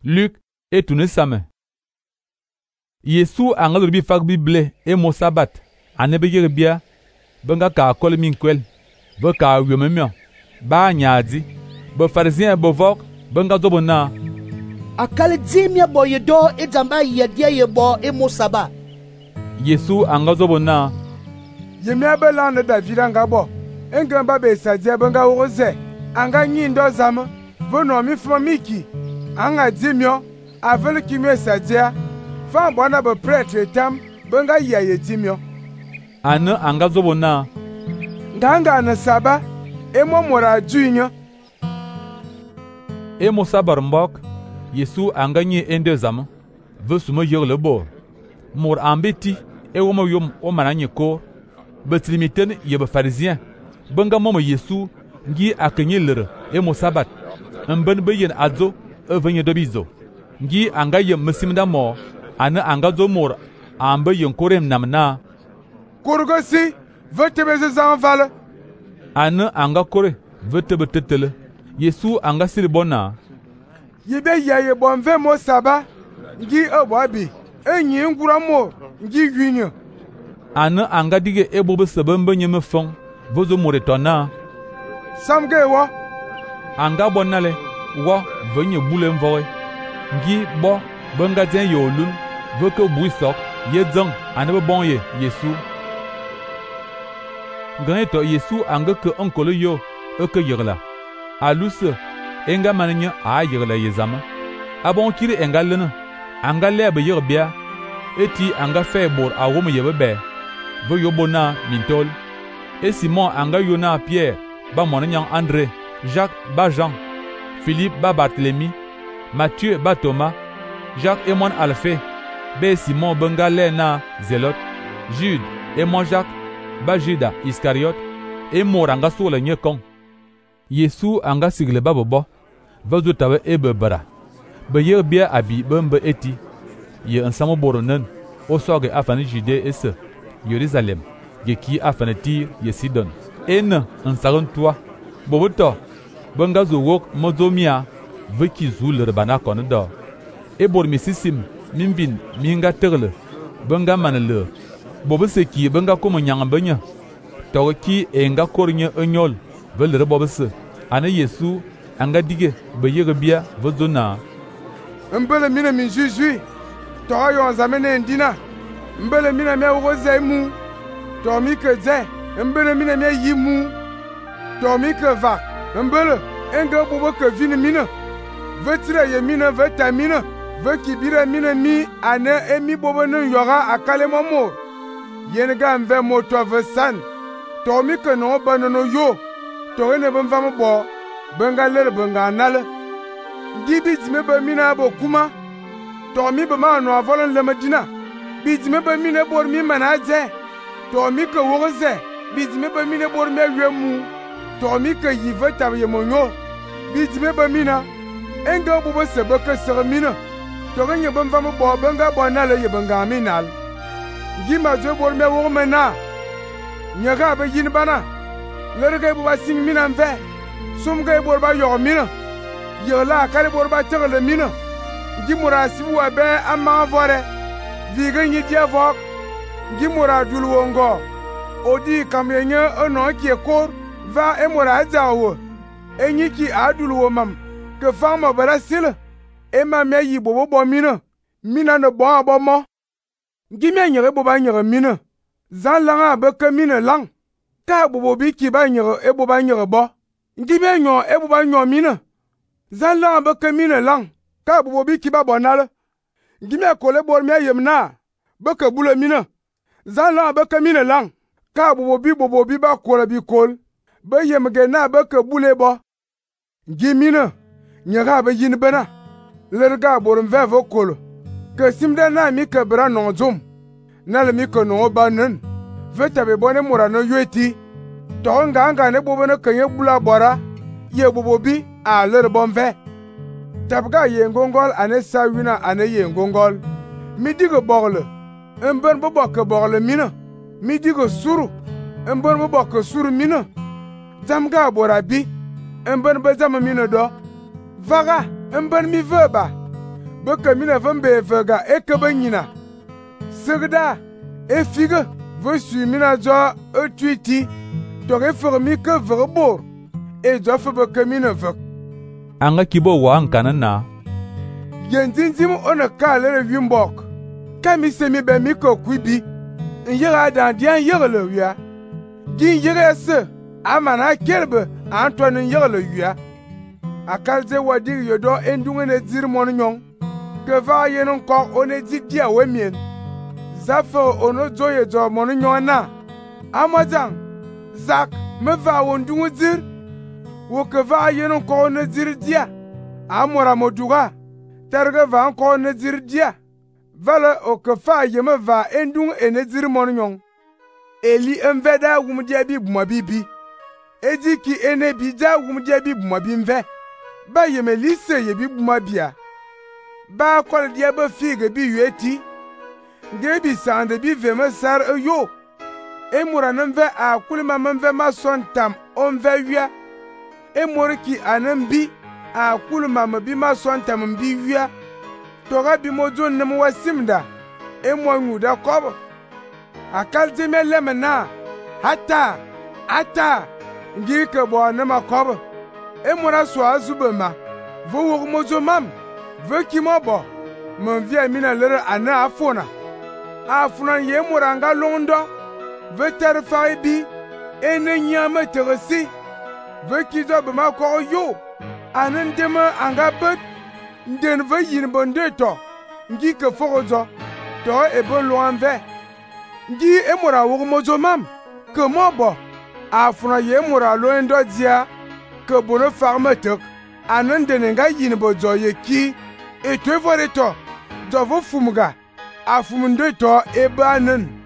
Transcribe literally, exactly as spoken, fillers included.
Luc et tout ne same. Yesu angal bi fak bible e mo sabat ane be yeg bia benga ka kol min kwel be ka yomemio ba nyaadi be pharisien be vok benga zobona akal dimia bo yedo e jamba yedia ye bo e mo saba. Yesu angal zobona yemia be lande David anga bo engamba be sadia benga woze anga nyindo zama vono mi fo miki anga dimio avel kimie sadia fan bona be prêtre tam benga yaye dimio ane anga zobona nganga na saba e mo mora juinyo e mo sabar mbok Yesu anga nyi ende zama ve sumo yer le bo mor ambeti e wo mo yom o mananye ko betrimiten ye be pharisien benga mo Yesu ngi akenye lere e mo sabat mben be yen adzo e venye dobizo ngi anga ye mesimda mo ane anga zo mor ambe yen korem namna kurgosi vetebe ze zanvala ane anga kore vetebe tetele Yesu anga siri bona yibe yaye bonve mo saba ngi obwabi enyi ngura mo ngi gwinyo ane anga dige ebo be sebembe nyeme fon vozo moretona samge wo anga bonale wo venye bule mvoe ngi bo benga den yolun veke buisok ye dzang ane be bonye Yesu ngane to Yesu anga ke onkolo yo eke yegla aluse enga mannya a yegla yezama abon kiri enga lena anga lebe yerbia eti anga fe bor awom yebe be vo yobona mintol et Simon anga yona Pierre ba monanyang André Jacques ba Jean Philippe ba Barthélemy Matthieu ba Thomas Jacques et mon Alphée be Simon benga lena Zélote Jude et mon Jacques ba Judas Iscariot et moranga sur le nyekon Yesu anga sigle babobo vazo tawe ebe bara be yer bia abi bembe eti ye ensamo boronen o soge afani Judée et ce Jérusalem ye ki afani Tyr ye Sidon en ensaron toi boboto benga zo wok mozomia veki zul bana kondo e bor misisim minvin minga terle benga manele bobo seki benga komo nyanga benya to ki enga kornya enyol velre bobse ane Yesu anga dige be yege bia vozona mbele mina min jujui to yo zamene ndina mbele mina me woze mu to mi ke ze mbele mina me yimu to mi ke va mbele enga bobo ke vini mina vetire ye mina vitamina ve kibire mina mi ane emi bobo no yora akale momo yen ga mve moto vesan to mi ke no banono yo to ne bamva mo bo benga lere benga nale gibi dime be mina bo kuma to mi be ma no avolon le medina bi dime be mina bor mi manaje to mi ke woze bi dime be mina bor me wemu to mi ke yive tabe monyo bi dime be mina enga bo bo se be ke sere mina to ganye bamva mo bo benga bo nale ye benga minal gima je bor me wo mena nyaga be yin bana lerge bo ba sing mina mve sumge bor ba yo mina yola kale bor ba tegle mina gimura sibu wa be amma vore viga nyi dia vok gimura dulwongo odi kamyenye ono ki ekor va emura jawo enyi ki adulwo mam ke fama barasil e ma me yi bobo bo mina mina no bo abomo gimya nyere bo ba nyere mina zan langa be ke mina lang ka bobo bi ki ba nyere e bo ba nyere bo ngime nyo e bo ba nyo mina zan langa be ke mina lang ka bobo bi ki ba bonal ngime kole bor me yemna be ke bule mina zan langa be ke mina lang ka bobo bi bobo bi ba kole bi kol be yemge na be ke bule bo ngimina nyega be yin bena lerga bor mve vo kol ke simde na mi ke bra no zum na le mi ke no banen veta be bone mura no yeti to nga nga ne bobo no kenye bula bora ye bobo bi a ler bonve tabga ye ngongol ane sawina ane ye ngongol mi digo bogle emben bo bokke bogle mina mi digo suru emben bo bokke suru mina zamga bora bi emben be zama mina do vaga emben mi veba Beke mina vembe vega ekebe nyina. Segda e figue ve su mina zo e tuiti. Tore fermi ke verbor. E zo fe beke mina vek. Anga kibo wa ankana na. Yenzinzim ona kale le wimbok. Kami semi be mi ko kwibi. Nyera dan dian yere le wia. Din yere se amana kelbe Antoine yere le wia. Akalze wadir yodo endunge ne dir mon nyon. Que va yenon ko one di dia wemien. Zafo ono zoye zo mon nyon na. Amazang Zak me va wondunge dir. Wo que va yenon ko one dir dia. Amora modura. Terge va encore ne dir dia. Vale o que fa yeme va endung e ne dir mon nyon. Eli enveda wumdia bi buma bibi. Edi ki ene bija wumdia bi buma bimve. Ba yeme lise ye bi buma bia. Ba kwal dia ba fige bi yueti. Nge bi sande bi veme sar e yo. E mura nemve a kulima memve ma son tam onve wia. E mura ki anembi a kulima me bi ma son tam mbi wia. Tora bi mozo nem wasimda. E mo nguda kobo. Akal dime lemena. Hata. Hata. Ngi ke bo nema kobo. E mura so azubema. Vo wo mozo mam. Ve ki mo bo. Mon vie mina lere ana afona. Afuna ye mura nga londo. Ve ter faibi. E ne nyame teresi. Ve ki zo be ma ko yo. Anen dema anga bet. Nden ve yin bonde to. Ngi ke forozo. To e bon loin ve. Ngi e mura wo mozo mam. Ke mo bo. Afuna ye mura lo ndo dia. Ke bono farme tek. Anen dene nga yin bozo ye ki. E te vore to. Do vo fumuga. Afumunde to e banen.